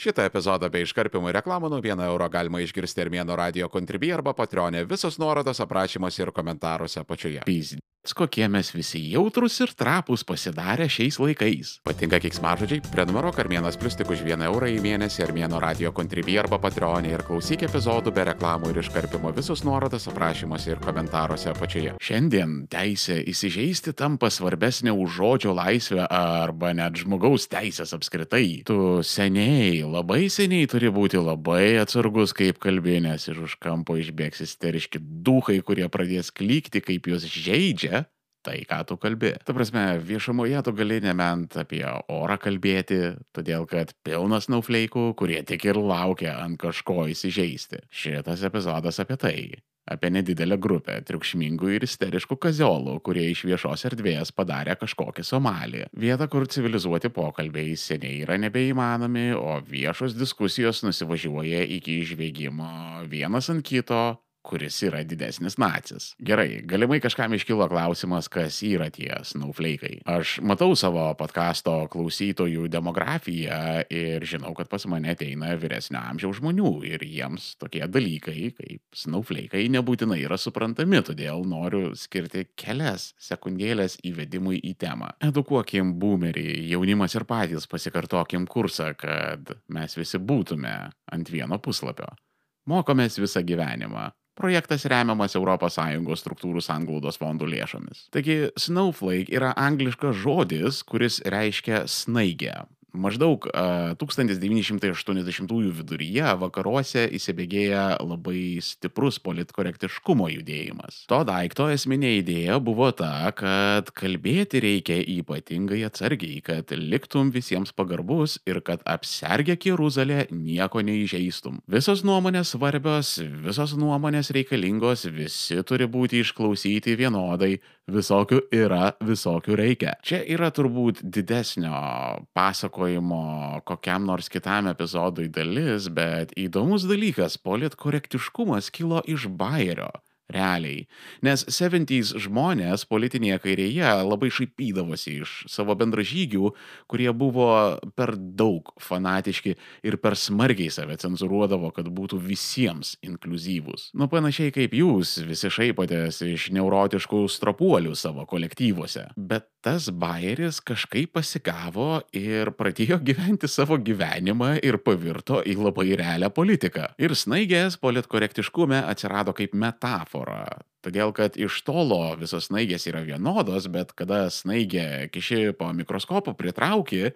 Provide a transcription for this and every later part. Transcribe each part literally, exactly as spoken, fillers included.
Šitą epizodą be iškarpimų ir reklamų nuo vieno euro galima išgirsti Armėno radio Contribui arba Patreon'e. Visos nuorodos aprašymuose ir komentaruose apačioje. Pyzdec, kokie mes visi jautrus ir trapūs pasidarę šiais laikais. Patinka keiksmažodžiai? Prenumeruok Armėnas Plius tik už vieną eurą į mėnesį Armėno radio Contribui arba Patreon'e ir klausyk epizodų be reklamų ir iškarpimo. Visos nuorodos aprašymuose ir komentaruose apačioje. Šiandien teisė įsižeisti tampa svarbesnė už žodžio laisvę arba net žmogaus teisės apskritai. Tu seniai, labai seniai turi būti labai atsargus, kaip kalbė, nes iš už kampo išbėgs isteriški duchai, kurie pradės klykti, kaip juos žeidžia tai, ką tu kalbi. Ta prasme, viešumoje tu gali nebent apie orą kalbėti, todėl kad pilnas naufleikų, kurie tik ir laukia ant kažko įsižeisti. Šitas epizodas apie tai. Apie nedidelę grupę triukšmingų ir isteriškų kaziolų, kurie iš viešos erdvės padarė kažkokį Somalį. Vieta, kur civilizuoti pokalbiai seniai yra nebeįmanomi, o viešos diskusijos nusivažiuoja iki žviegimo vienas ant kito, kuris yra didesnis nacis. Gerai, galimai kažkam iškilo klausimas, kas yra tie snaufleikai. Aš matau savo podcasto klausytojų demografiją ir žinau, kad pas mane ateina vyresnio amžiaus žmonių ir jiems tokie dalykai kaip snaufleikai nebūtinai yra suprantami, todėl noriu skirti kelias sekundėlės įvedimui į temą. Edukuokim boomerį, jaunimas ir patys pasikartokim kursą, kad mes visi būtume ant vieno puslapio. Mokomės visą gyvenimą. Projektas remiamas Europos Sąjungos struktūrų sanglaudos fondų lėšomis. Taigi, snowflake yra angliškas žodis, kuris reiškia snaigę. Maždaug uh, tūkstantis devyni šimtai aštuoniasdešimtųjų viduryje vakaruose įsibėgėja labai stiprus politkorektiškumo judėjimas. To daikto esminė idėja buvo ta, kad kalbėti reikia ypatingai atsargiai, kad liktum visiems pagarbus ir kad apsergę Jeruzalę nieko neįžeistum. Visos nuomonės svarbios, visos nuomonės reikalingos, visi turi būti išklausyti vienodai, visokių yra, visokių reikia. Čia yra turbūt didesnio pasakojimo kokiam nors kitam epizodui dalis, bet įdomus dalykas, politkorektiškumas kilo iš bajerio. Realiai. Nes septyniasdešimtųjų žmonės politinėje kairėje labai šaipydavosi iš savo bendražygių, kurie buvo per daug fanatiški ir per smarkiai save cenzūruodavo, kad būtų visiems inkliuzyvūs. Nu panašiai kaip jūs visi šaipotės iš neurotiškų stropuolių savo kolektyvuose. Bet tas bajeris kažkaip pasigavo ir pradėjo gyventi savo gyvenimą ir pavirto į labai realią politiką. Ir snaigės politkorektiškume atsirado kaip metafora. Todėl, kad iš tolo visos snaigės yra vienodos, bet kada snaigę kiši po mikroskopu pritrauki,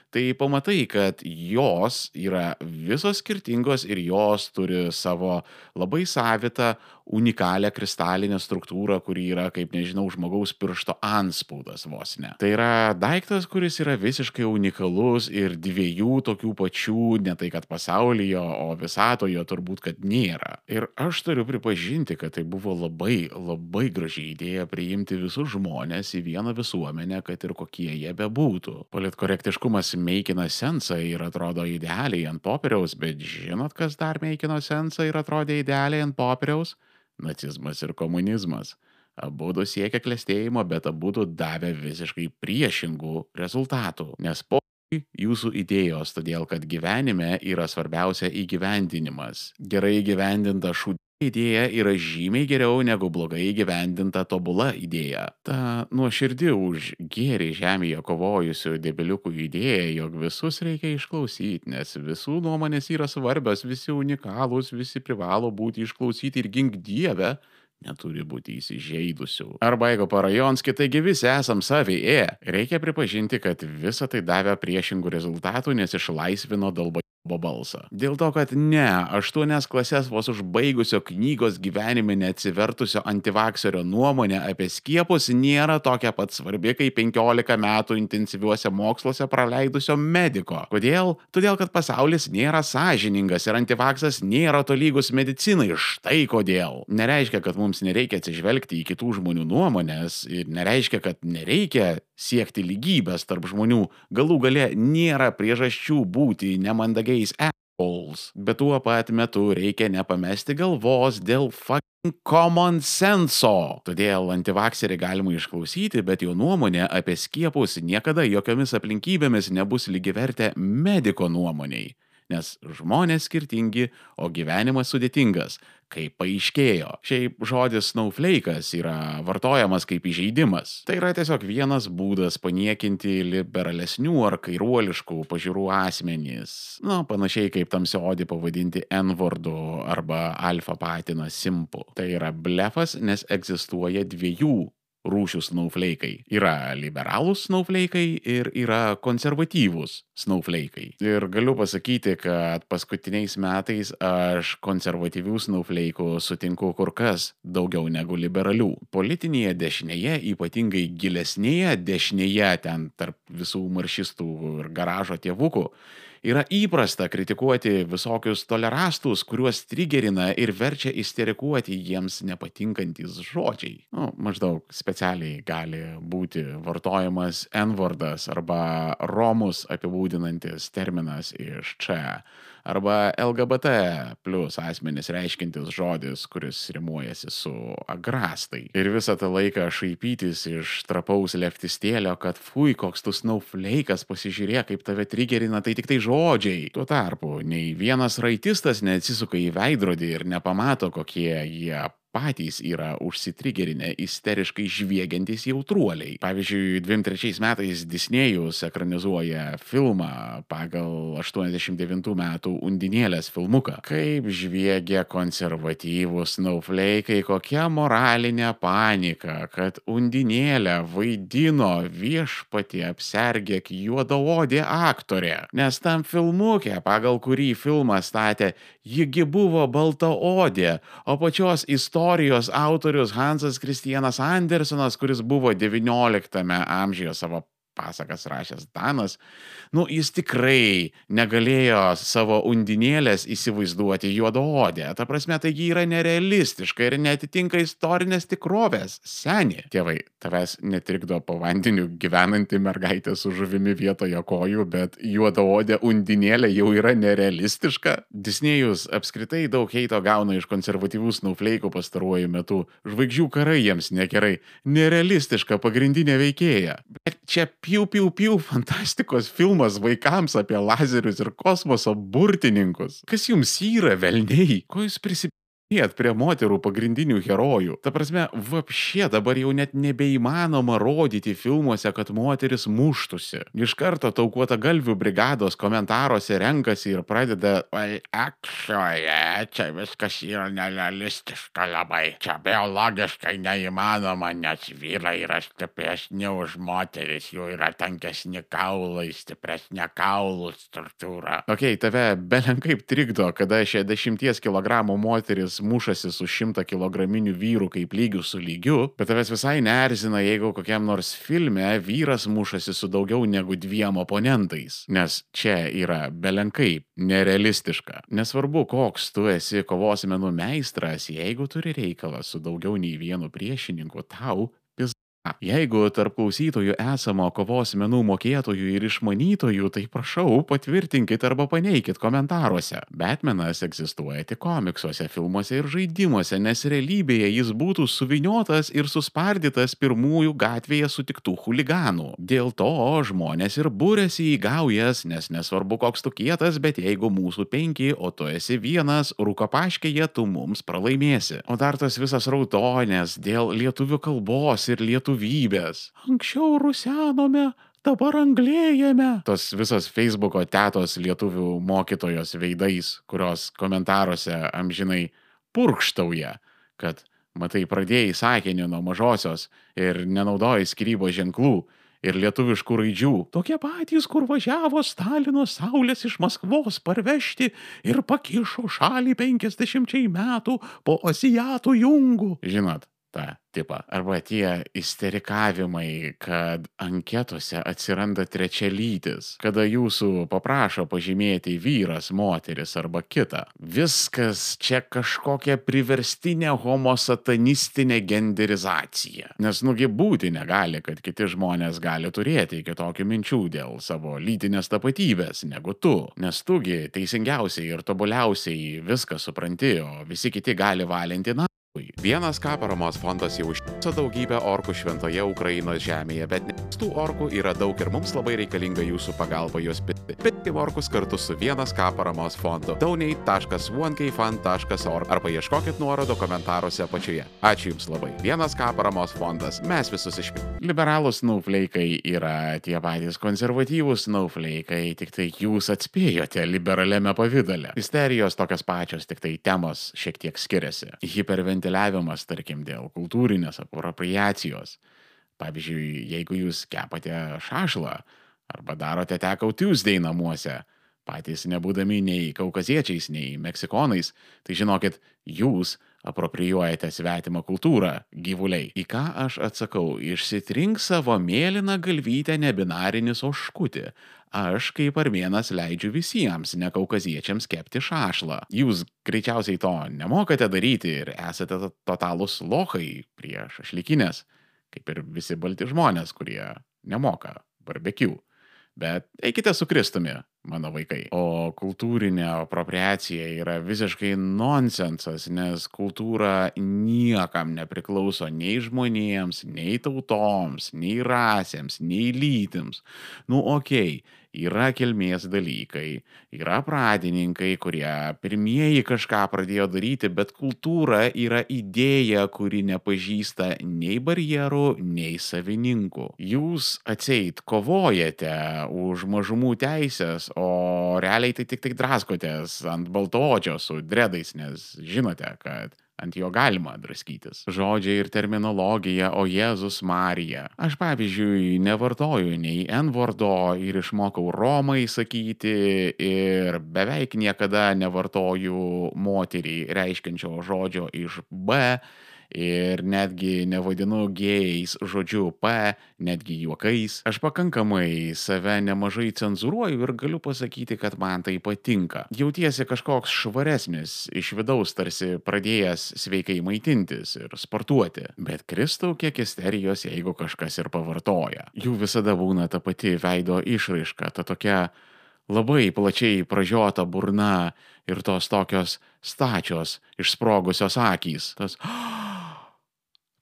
tai pamatai, kad jos yra visos skirtingos ir jos turi savo labai savitą, unikalią kristalinę struktūrą, kuri yra, kaip nežinau, žmogaus piršto antspaudas vos ne. Tai yra daiktas, kuris yra visiškai unikalus ir dviejų tokių pačių, ne tai kad pasaulyje, o visatoje turbūt, kad nėra. Ir aš turiu pripažinti, kad tai buvo labai, labai graži idėja priimti visus žmonės į vieną visuomenę, kad ir kokie jie bebūtų. Politkorektiškumas meikina sensą ir atrodo idealiai ant popieriaus, bet žinot, kas dar meikino sensą ir atrodė idealiai ant popieriaus? Nacizmas ir komunizmas. Abudu siekia klestėjimo, bet abudu davė visiškai priešingų rezultatų. Nes po jūsų idėjos, todėl kad gyvenime yra svarbiausia įgyvendinimas. Gerai įgyvendinta šūdė idėja yra žymiai geriau negu blogai įgyvendinta tobula idėja. Ta nuoširdi už gėrį žemėje kovojusių debiliukų idėja, jog visus reikia išklausyti, nes visų nuomonės yra svarbios, visi unikalūs, visi privalo būti išklausyti ir gink Dieve, neturi būti įsižeidusių. Arba jeigu parajonski, taigi visi esam savi, e. Reikia pripažinti, kad visa tai davė priešingų rezultatų, nes išlaisvino dalbo balsą. Dėl to, kad ne, aštuonias klases vos užbaigusio knygos gyvenime neatsivertusio antivakserio nuomonė apie skiepus nėra tokia pat svarbi, kaip penkiolika metų intensyviuose moksluose praleidusio mediko. Kodėl? Todėl, kad pasaulis nėra sąžiningas ir antivaksas nėra tolygus medicinai. Štai kodėl. Nereiškia, kad mums nereikia atsižvelgti į kitų žmonių nuomonės ir nereiškia, kad nereikia siekti lygybės tarp žmonių. Galų gale nėra priežasčių būti nemandagiais assholes. Bet tuo pat metu reikia nepamesti galvos dėl fucking common senso. Todėl antivakserį galima išklausyti, bet jo nuomonė apie skiepus niekada jokiomis aplinkybėmis nebus lygiavertė mediko nuomoniai. nes žmonės skirtingi, o gyvenimas sudėtingas, kaip paaiškėjo. Šiaip žodis snowflake'as yra vartojamas kaip įžeidimas. Tai yra tiesiog vienas būdas paniekinti liberalesnių ar kairuoliškų pažiūrų asmenys. Na, panašiai kaip tamsiaodį pavadinti N-vardu arba alfa patiną simpu. Tai yra blefas, nes egzistuoja dviejų rūšių snowflake'ai. Yra liberalūs snowflake'ai ir yra konservatyvūs snowflake'ai. Ir galiu pasakyti, kad paskutiniais metais aš konservatyvių snowflake'ų sutinku kur kas daugiau negu liberalių. Politinėje dešinėje, ypatingai gilesnėje dešinėje, ten tarp visų maršistų ir garažo tėvukų, yra įprasta kritikuoti visokius tolerastus, kuriuos trigerina ir verčia isterikuoti jiems nepatinkantis žodžiai. Nu, maždaug specialiai gali būti vartojamas N-vardas arba romus apibūdinantis terminas iš čia, arba L G B T plus asmenis reiškintis žodis, kuris rimuojasi su agrastai. Ir visą tą laiką šaipytis iš trapaus leftistėlio, kad fui, koks tu snowflake'as, pasižiūrėk, kaip tave trigerina, tai tik tai žodžiai. Tuo tarpu, nei vienas raitistas neatsisuka į veidrodį ir nepamato, kokie jie patys yra užsitrigerinę isteriškai žviegiantys jautruoliai. Pavyzdžiui, dvim trečiais metais Disnėjus ekranizuoja filmą pagal aštuoniasdešimt devintų metų Undinėlės filmuką. Kaip žviegia konservatyvūs snowflake'ai, kokia moralinė panika, kad Undinėlę vaidino viešpatie apsergėk juodaodė aktorė. Nes tam filmuke, pagal kurį filmą statė, jigi buvo baltaodė, o pačios istorijos Istorijos autorius Hansas Kristianas Andersenas, kuris buvo devynioliktame amžiuje savo pasakas rašęs Danas, nu, jis tikrai negalėjo savo Undinėlės įsivaizduoti juodaodę. Ta prasme, taigi yra nerealistiška ir neatitinka istorinės tikrovės. Seni. Tėvai, tavęs netrikdo po vandeniu gyvenanti mergaitė su žuvimi vietoje kojų, bet juodaodė Undinėlė jau yra nerealistiška. Disnėjus apskritai daug heito gauna iš konservatyvių snowflake'ų pastaruoju metu. Žvaigždžių karai jiems negerai. Nerealistiška pagrindinė veikėja. Bet čia piu, piu, piu, fantastikos filmas vaikams apie lazerius ir kosmoso burtininkus. Kas jums yra, velniai? Ko jūs prisipėt prie moterų pagrindinių herojų? Ta prasme, vapšė dabar jau net nebeįmanoma rodyti filmuose, kad moteris muštųsi. Iš karto taukuota galvių brigados komentaruose renkasi ir pradeda "Oi, akšoje, čia viskas yra nerealistiška labai. Čia biologiškai neįmanoma, nes vyrai yra stipresni už moteris, jų yra tankesni kaulai, stipresnė kaulų struktūra." Ok, tave belenkaip trikdo, kada šešiasdešimties kilogramų moteris mušasi su šimto kilograminių vyrų kaip lygių su lygiu, bet tavęs visai neerzina, jeigu kokiam nors filme vyras mušasi su daugiau negu dviem oponentais, nes čia yra belenkaip nerealistiška. Nesvarbu, koks tu esi kovos menų meistras, jeigu turi reikalą su daugiau nei vienu priešininku, tau pizda. Jeigu tarp klausytojų esamo kovos menų mokėtojų ir išmanytojų, tai prašau patvirtinkit arba paneikit komentaruose. Batmanas egzistuoja tik komiksuose, filmuose ir žaidimuose, nes realybėje jis būtų suviniotas ir suspardytas pirmųjų gatvėje sutiktų chuliganų. Dėl to žmonės ir būrėsi į gaujas, nes nesvarbu koks tu kietas, bet jeigu mūsų penki, o tu esi vienas, rūkopaškėje tu mums pralaimėsi. O dar tas visas rautonės dėl lietuvių kalbos ir lietuvybės. Anksčiau rusenome, dabar anglėjame. Tos visos Facebooko tetos lietuvių mokytojos veidais, kurios komentaruose amžinai purkštauja, kad, matai, pradėjai sakinį nuo mažosios ir nenaudojai skyrybos ženklų ir lietuviškų raidžių. Tokie patys, kur važiavo Stalino saulės iš Maskvos parvežti ir pakišo šalį penkiasdešimčiai metų po asiatų jungų. Žinot, tą tipą. Arba tie isterikavimai, kad anketose atsiranda trečialytis, kada jūsų paprašo pažymėti vyras, moteris arba kita. Viskas čia kažkokia priverstinė homosatanistinė genderizacija. Nes nugi būti negali, kad kiti žmonės gali turėti kitokių minčių dėl savo lytinės tapatybės negu tu. Nes tugi teisingiausiai ir tobuliausiai viską supranti, o visi kiti gali valinti na. Vienas ką paramos fondas jau užtiso daugybę orkų šventoje Ukrainos žemėje, bet nes tų orkų yra daug ir mums labai reikalinga jūsų pagalba juos pitti. Pitti orkus kartu su vienas ką paramos fondu. donate taškas one k fund taškas org arba ieškokit nuorodo komentaruose apačioje. Ačiū Jums labai. Vienas ką paramos fondas. Mes visus išpildim. Liberalūs snowflake'ai yra tie patys konservatyvūs snowflake'ai, tik tai jūs atspėjote liberaliame pavydale. Isterijos tokios pačios, tik tai temos šiek tiek skiriasi. Hiperventiliavimas, tarkim, dėl kultūrinės apropriacijos. Pavyzdžiui, jeigu jūs kepate šašlą arba darote Taco Tuesday namuose, patys nebūdami nei kaukaziečiais, nei meksikonais, tai žinokit, jūs aproprijuojate svetimą kultūrą, gyvuliai. Į ką aš atsakau? Išsitrink savo mėlyną galvytę nebinarinis oškutį. Aš kaip armėnas leidžiu visiems nekaukaziečiams kepti šašlą. Jūs greičiausiai to nemokate daryti ir esate totalūs lochai prie šašlykinės, kaip ir visi balti žmonės, kurie nemoka barbekių. Bet eikite su Kristumi, mano vaikai. O kultūrinė apropriacija yra visiškai nonsensas, nes kultūra niekam nepriklauso nei žmonėms, nei tautoms, nei rasėms, nei lytims. Nu, okei, yra kilmės dalykai, yra pradininkai, kurie pirmieji kažką pradėjo daryti, bet kultūra yra idėja, kuri nepažįsta nei barjerų, nei savininkų. Jūs atseit kovojate už mažumų teisės, o realiai tai tik tik draskotės ant baltoodžio su dredais, nes žinote, kad ant jo galima draskytis. Žodžiai ir terminologija, o Jėzus Marija. Aš pavyzdžiui nevartoju nei N-vardo ir išmokau Romai sakyti ir beveik niekada nevartoju moterį reiškiančio žodžio iš B ir netgi nevadinu gėjais žodžiu P, netgi juokais. Aš pakankamai save nemažai cenzūruoju ir galiu pasakyti, kad man tai patinka. Jautiesi kažkoks švaresnis iš vidaus, tarsi pradėjęs sveikai maitintis ir sportuoti. Bet Kristau, kiek isterijos, jeigu kažkas ir pavartoja. Jų visada būna ta pati veido išraiška, ta tokia labai plačiai pražiota burna ir tos tokios stačios, išsprogusios akys. Tas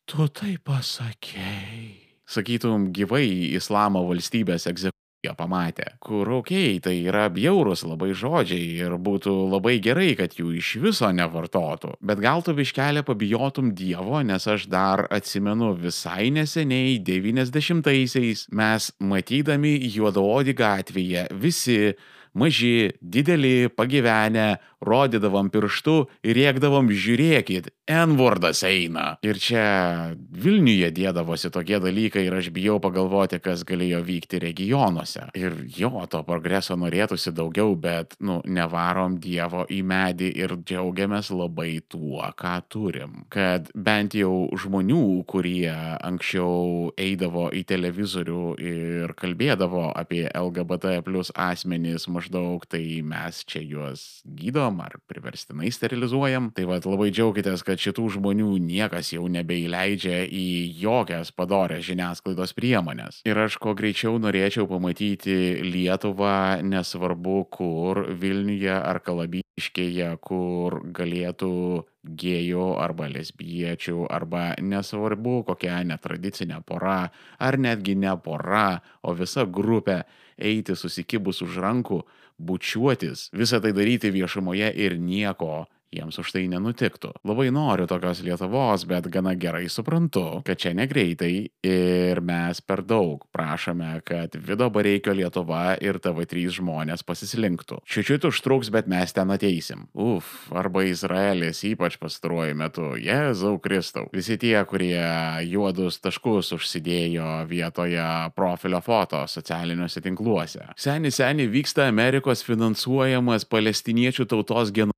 tu tai pasakei. Sakytum, gyvai Islamo valstybės egzekuciją pamatė, kur okei, tai yra bjaurus labai žodžiai ir būtų labai gerai, kad jų iš viso nevartotų. Bet gal tu biškelę pabijotum Dievo, nes aš dar atsimenu visai neseniai devyniasdešimtaisiais mes matydami juodaodį gatvėje visi maži, dideli, pagyvenę, rodydavom pirštu ir rėkdavom žiūrėkit, N-vardas eina. Ir čia Vilniuje dėdavosi tokie dalykai ir aš bijau pagalvoti, kas galėjo vykti regionuose. Ir jo, to progreso norėtųsi daugiau, bet, nu, nevarom Dievo į medį ir džiaugiamės labai tuo, ką turim. Kad bent jau žmonių, kurie anksčiau eidavo į televizorių ir kalbėdavo apie L G B T plus asmenys maždaug, tai mes čia juos gydom ar priverstinai sterilizuojam. Tai vat labai džiaukitės, kad šitų žmonių niekas jau nebeįleidžia į jokias padorės žiniasklaidos priemonės. Ir aš kuo greičiau norėčiau pamatyti Lietuvą, nesvarbu kur, Vilniuje ar Kalabiškėje, kur galėtų gėjų arba lesbiečių arba nesvarbu kokia netradicinė pora ar netgi ne pora, o visa grupė eiti susikibus už rankų, bučiuotis, visą tai daryti viešumoje ir nieko jiems už tai nenutiktų. Labai noriu tokios Lietuvos, bet gana gerai suprantu, kad čia negreitai ir mes per daug prašome, kad Vido Bareikio Lietuva ir T V trys žmonės pasislinktų. Čiučiut užtruks, bet mes ten ateisim. Uf, arba Izraelis, ypač pastaruoju metu. Jėzau Kristau. Visi tie, kurie juodus taškus užsidėjo vietoje profilio foto socialiniuose tinkluose. Seni, seni vyksta Amerikos finansuojamas palestiniečių tautos genocidas.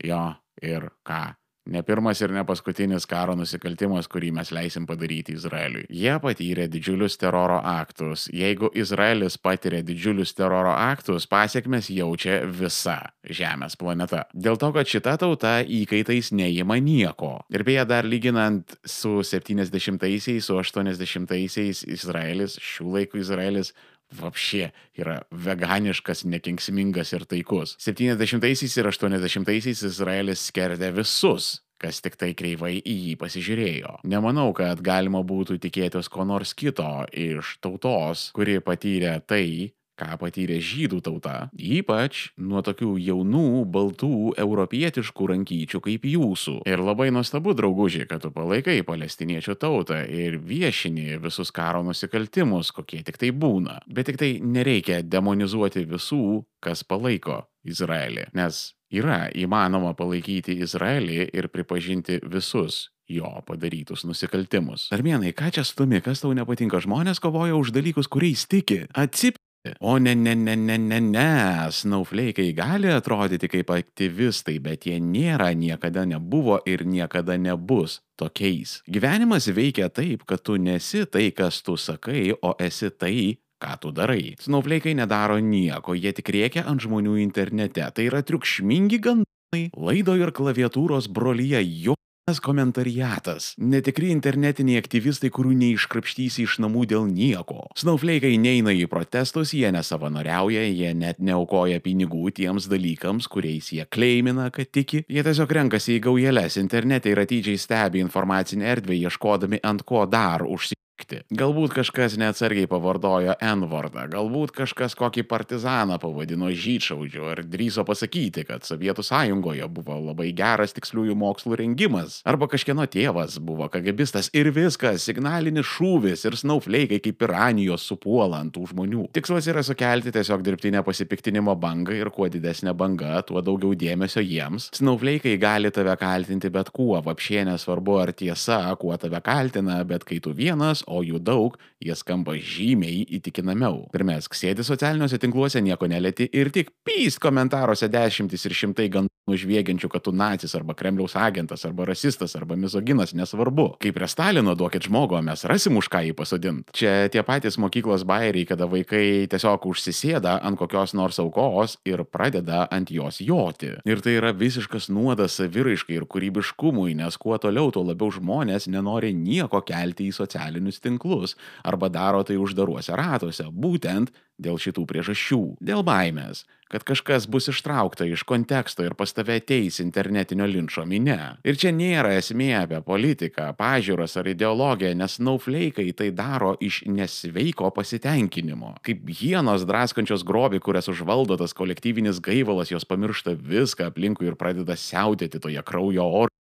Jo, ir ką? Ne pirmas ir ne paskutinis karo nusikaltimas, kurį mes leisim padaryti Izraeliui. Jie patyrė didžiulius teroro aktus. Jeigu Izraelis patiria didžiulius teroro aktus, pasiekmes jaučia visa Žemės planeta. Dėl to, kad šita tauta įkaitais neima nieko. Ir beje, dar lyginant su septyniasdešimtaisiais, su aštuoniasdešimtaisiais Izraelis, šių laikų Izraelis, vapšė yra veganiškas, nekenksmingas ir taikus. septyniasdešimtaisiais ir aštuoniasdešimtaisiais Izraelis skerdė visus, kas tik tai kreivai į jį pasižiūrėjo. Nemanau, kad galima būtų tikėtis ko nors kito iš tautos, kuri patyrė tai, ką patyrė žydų tauta, ypač nuo tokių jaunų, baltų, europietiškų rankyčių kaip jūsų. Ir labai nuostabu, draugužiai, kad tu palaikai palestiniečių tautą ir viešini visus karo nusikaltimus, kokie tik tai būna. Bet tik tai nereikia demonizuoti visų, kas palaiko Izraelį, nes yra įmanoma palaikyti Izraelį ir pripažinti visus jo padarytus nusikaltimus. Armėnai, ką čia stumi, kas tau nepatinka? Žmonės kovoja už dalykus, kuriais tiki. Atsip O ne, ne, ne, ne, ne, ne, snaufleikai gali atrodyti kaip aktyvistai, bet jie nėra, niekada nebuvo ir niekada nebus tokiais. Gyvenimas veikia taip, kad tu nesi tai, kas tu sakai, o esi tai, ką tu darai. Snaufleikai nedaro nieko, jie tik rėkia ant žmonių internete. Tai yra triukšmingi gandai, laido ir klaviatūros brolyje jo. Komentariatas. Netikri internetiniai aktyvistai, kurių neiškrapštysi iš namų dėl nieko. Snaufleikai neina į protestus, jie nesavanoriauja, jie net neaukoja pinigų tiems dalykams, kuriais jie kleimina, kad tiki. Jie tiesiog renkasi į gaujeles internete ir atidžiai stebi informacinę erdvę, ieškodami ant ko dar užsikti. Galbūt kažkas neatsargiai pavartojo N-vardą, galbūt kažkas kokį partizaną pavadino žydšaudžiu ar drįso pasakyti, kad Sovietų sąjungoje buvo labai geras tiksliųjų mokslų rengimas, arba kažkieno tėvas buvo kagabistas ir viskas, signalinis šūvis ir snaufleikai kaip piranijos supuola ant tų žmonių. Tikslas yra sukelti tiesiog dirbtinę pasipiktinimo bangą ir kuo didesnė banga, tuo daugiau dėmesio jiems. Snaufleikai gali tave kaltinti bet kuo, vapšė nesvarbu ar tiesa, kuo tave kaltina, bet kai tu vienas, o jų daug, jie skamba žymiai įtikinamiau. Pirmesk, sėdi socialiniuose tinkluose, nieko nelieti ir tik pyst komentaruose dešimtis ir šimtai gandų žviegiančių, kad tu nacis arba Kremliaus agentas arba rasistas arba mizoginas, nesvarbu. Kaip prie Stalino duokit žmogų, mes rasim už ką jį pasodint. Čia tie patys mokyklos bajeriai, kada vaikai tiesiog užsisėda ant kokios nors aukos ir pradeda ant jos joti. Ir tai yra visiškas nuodas saviraiškai ir kūrybiškumui, nes kuo toliau, tuo labiau žmonės nenori nieko kelti į socialinius tinklus arba daro tai uždaruose ratuose, būtent dėl šitų priežasčių. Dėl baimės, kad kažkas bus ištraukta iš konteksto ir pas tave ateis internetinio linčo minia. Ir čia nėra esmė apie politiką, pažiūras ar ideologiją, nes snaufleikai tai daro iš nesveiko pasitenkinimo. Kaip hienos draskančios grobį, kurias užvaldo tas kolektyvinis gaivalas, jos pamiršta viską aplinkui ir pradeda siautėti toje kraujo orgijoje.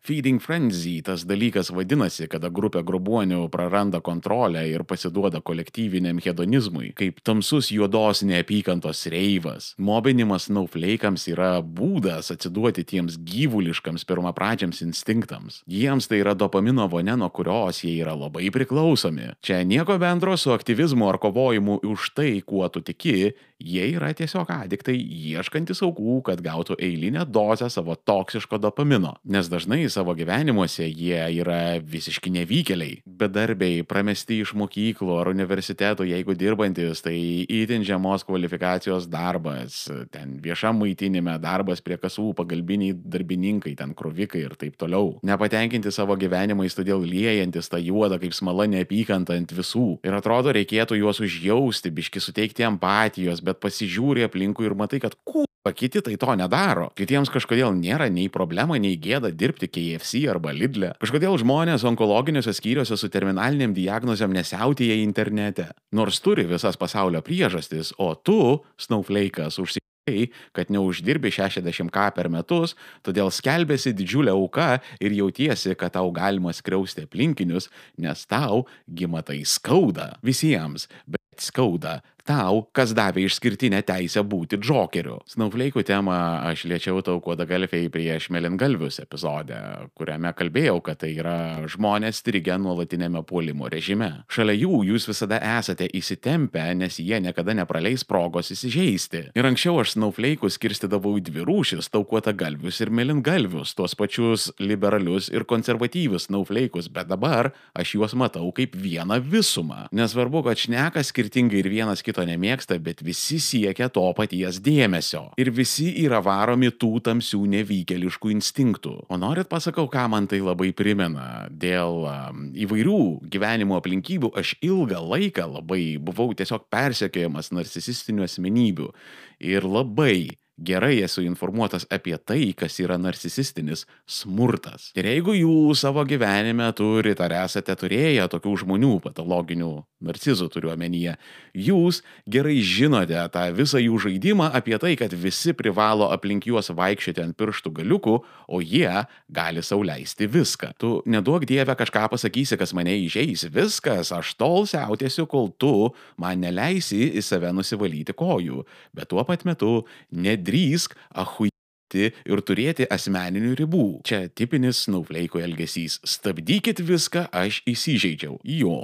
Feeding frenzy tas dalykas vadinasi, kada grupė grobuonių praranda kontrolę ir pasiduoda kolektyviniam hedonizmui, kaip tamsus juodos neapykantos reivas. Mobinimas snaufleikams yra būdas atsiduoti tiems gyvuliškams pirmapradžiams instinktams. Jiems tai yra dopamino vonia, nuo kurios jie yra labai priklausomi. Čia nieko bendro su aktyvizmu ar kovojimu už tai, kuo tu tiki, jie yra tiesiog adiktai ieškantis aukų, kad gautų eilinę dozę savo toksiško dopamino. Nes dažnai savo gyvenimuose jie yra visiški nevykėliai. Bedarbiai, pramesti iš mokyklų ar universiteto, jeigu dirbantis, tai itin žemos kvalifikacijos darbas, ten viešam maitinime, darbas prie kasų, pagalbiniai darbininkai, ten krovikai ir taip toliau. Nepatenkinti savo gyvenimais, todėl liejantis tą juodą kaip smala neapykantą ant visų. Ir atrodo, reikėtų juos užjausti, biški suteikti empatijos, bet pasižiūri aplinkui ir matai, kad kū, kiti tai to nedaro. Kitiems kažkodėl nėra nei problema, nei gėda dirbti K F C arba Lidle. Kažkodėl žmonės onkologiniuose skyriuose su terminaliniam diagnozėm nesiautėja internete. Nors turi visas pasaulio priežastis, o tu, snaufleikas, užsikai, kad neuždirbi šešiasdešimt ką per metus, todėl skelbėsi didžiulę auką ir jautiesi, kad tau galima skriausti aplinkinius, nes tau gima tai skauda. Visiems, bet skauda tau, kas davė išskirtinę teisę būti džokeriu. Snaufleikų temą aš liečiau Taukuoda Galfei prieš Mėlyngalvius epizode, kuriame kalbėjau, kad tai yra žmonės strigę nuolatinėme puolimo režime. Šalia jų jūs visada esate įsitempę, nes jie niekada nepraleis progos įsižeisti. Ir anksčiau aš snaufleikus skirstydavau į dvi rūšis - Taukuotą Galvius ir Mėlyngalvius, tuos pačius liberalius ir konservatyvius snaufleikus, bet dabar aš juos matau kaip vieną visumą. Nesvarbu, kad šneka skirtingai ir vienas kito nemėgsta, bet visi siekia to paties dėmesio. Ir visi yra varomi tų tamsių nevykėliškų instinktų. O norit pasakau, ką man tai labai primena? Dėl um, įvairių gyvenimo aplinkybių aš ilgą laiką labai buvau tiesiog persekiojamas narcisistinių asmenybių. Ir labai gerai esu informuotas apie tai, kas yra narcisistinis smurtas. Ir jeigu jūs savo gyvenime turite ar esate turėję tokių žmonių, patologinių narcizų turiu omenyje, jūs gerai žinote tą visą jų žaidimą apie tai, kad visi privalo aplink juos vaikščioti ant pirštų galiukų, o jie gali sau leisti viską. Tu neduok Dieve kažką pasakysi, kas mane įžeis, viskas, aš tol siautėsiu, kol tu man neleisi į save nusivalyti kojų, bet tuo pat metu nedrįsk achuiti ir turėti asmeninių ribų. Čia tipinis snowflake'ų elgesys. Stabdykit viską, aš įsižeidžiau. Jo,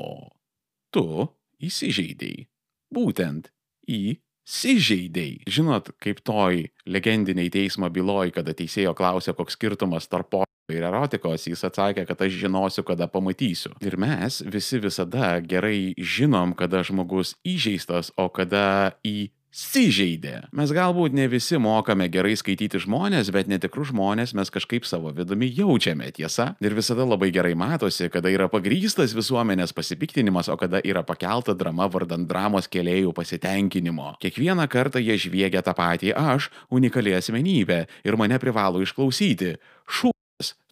tu įsižeidei. Būtent įsižeidei. Žinot, kaip toj legendiniai teismo byloj, kada teisėjo klausė, koks skirtumas tarp ir erotikos, jis atsakė, kad aš žinosiu, kada pamatysiu. Ir mes visi visada gerai žinom, kada žmogus įžeistas, o kada įsižeidė. Mes galbūt ne visi mokame gerai skaityti žmonės, bet netikrus žmonės mes kažkaip savo vidumi jaučiame, tiesa? Ir visada labai gerai matosi, kada yra pagrįstas visuomenės pasipiktinimas, o kada yra pakelta drama vardan dramos kėlėjų pasitenkinimo. Kiekvieną kartą jie žviegia tą patį aš, unikali asmenybė, ir mane privalo išklausyti. Šu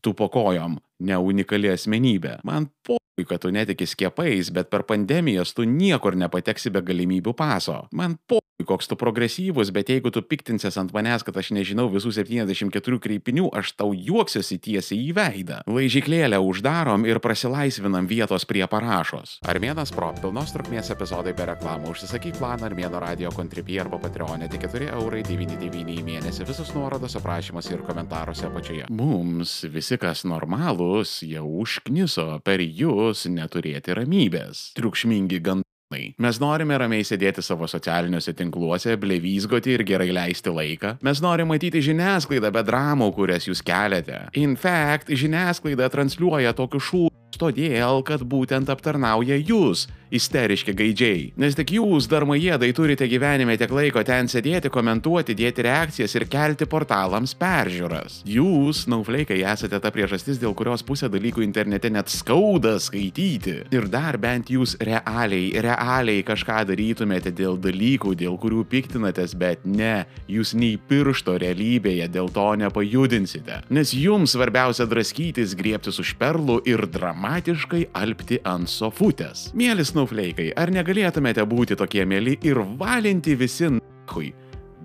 tu po kojom, ne unikali asmenybė. Man po, kad tu netiki skiepais, bet per pandemijas tu niekur nepateksi be galimybių paso. Man po, koks tu progresyvus, bet jeigu tu piktinsies ant manęs, kad aš nežinau visų septyniasdešimt keturių kreipinių, aš tau juoksiuosi tiesiai į veidą. Laižyklėlę uždarom ir prasilaisvinam vietos prie parašos. Armėnas Pro, pilnos trukmės epizodai be reklamų. Užsisakyk planą Armėno Radio Contribui arba Patreonė, tik keturi eurai devyni devyni į mėnesį. Visus nuorodos aprašymuose ir komentaruose apačioje. Mums visi, kas normalūs, jau užkniso per jūs neturėti ramybės. Triukšmingi gandai. Mes norime ramiai sėdėti savo socialiniuose tinkluose, blevyzgoti ir gerai leisti laiką. Mes norime matyti žiniasklaidą be dramų, kurias jūs keliate. In fact, žiniasklaida transliuoja tokius šūdus todėl, kad būtent aptarnauja jūs, isteriški gaidžiai. Nes tik jūs, darmajiedai, turite gyvenime tiek laiko ten sėdėti, komentuoti, dėti reakcijas ir kelti portalams peržiūras. Jūs, snowflake'ai, esate ta priežastis, dėl kurios pusę dalykų internete net skauda skaityti. Ir dar bent jūs realiai, realiai kažką darytumėte dėl dalykų, dėl kurių piktinatės, bet ne, jūs nei piršto realybėje dėl to nepajudinsite. Nes jums svarbiausia draskytis, griebtis už perlų ir dramatiškai alpti ant sofutės. Mėly snowflake'ai, ar negalėtumėte būti tokie mėly ir valinti visi n***hui?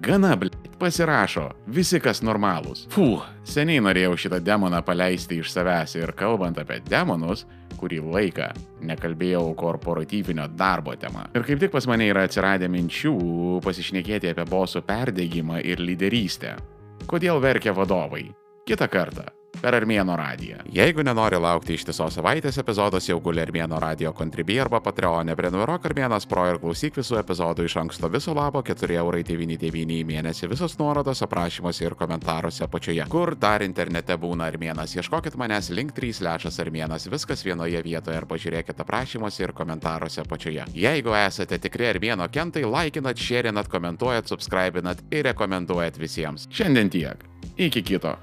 Gana, bl***, pasirašo, visi kas normalūs. Fuh, seniai norėjau šitą demoną paleisti iš savęs ir kalbant apie demonus, kurį laiką nekalbėjau korporatyvinio darbo tema. Ir kaip tik pas mane yra atsiradę minčių pasišnekėti apie bosų perdegimą ir lyderystę. Kodėl verkia vadovai? Kitą kartą. Per Armėno radiją. Jeigu nenori laukti ištisos savaitės, epizodas jau guli Armėno Radio Contribui arba Patreonė. Prenumeruok Armėnas Pro ir klausyk visų epizodų iš anksto. Viso labo keturi eurai devyni devyni į mėnesį. Visos nuorodos aprašymuose ir komentaruose apačioje. Kur dar internete būna Armėnas? Ieškokit manęs link trys slash Armėnas. Viskas vienoje vietoje ir pažiūrėkit aprašymuose ir komentaruose apačioje. Jeigu esate tikri Armėno kentai, laikinat, šėrinat, komentuojat, subscribinat ir rekomenduojat visiems. Šiandien tiek. Iki kito.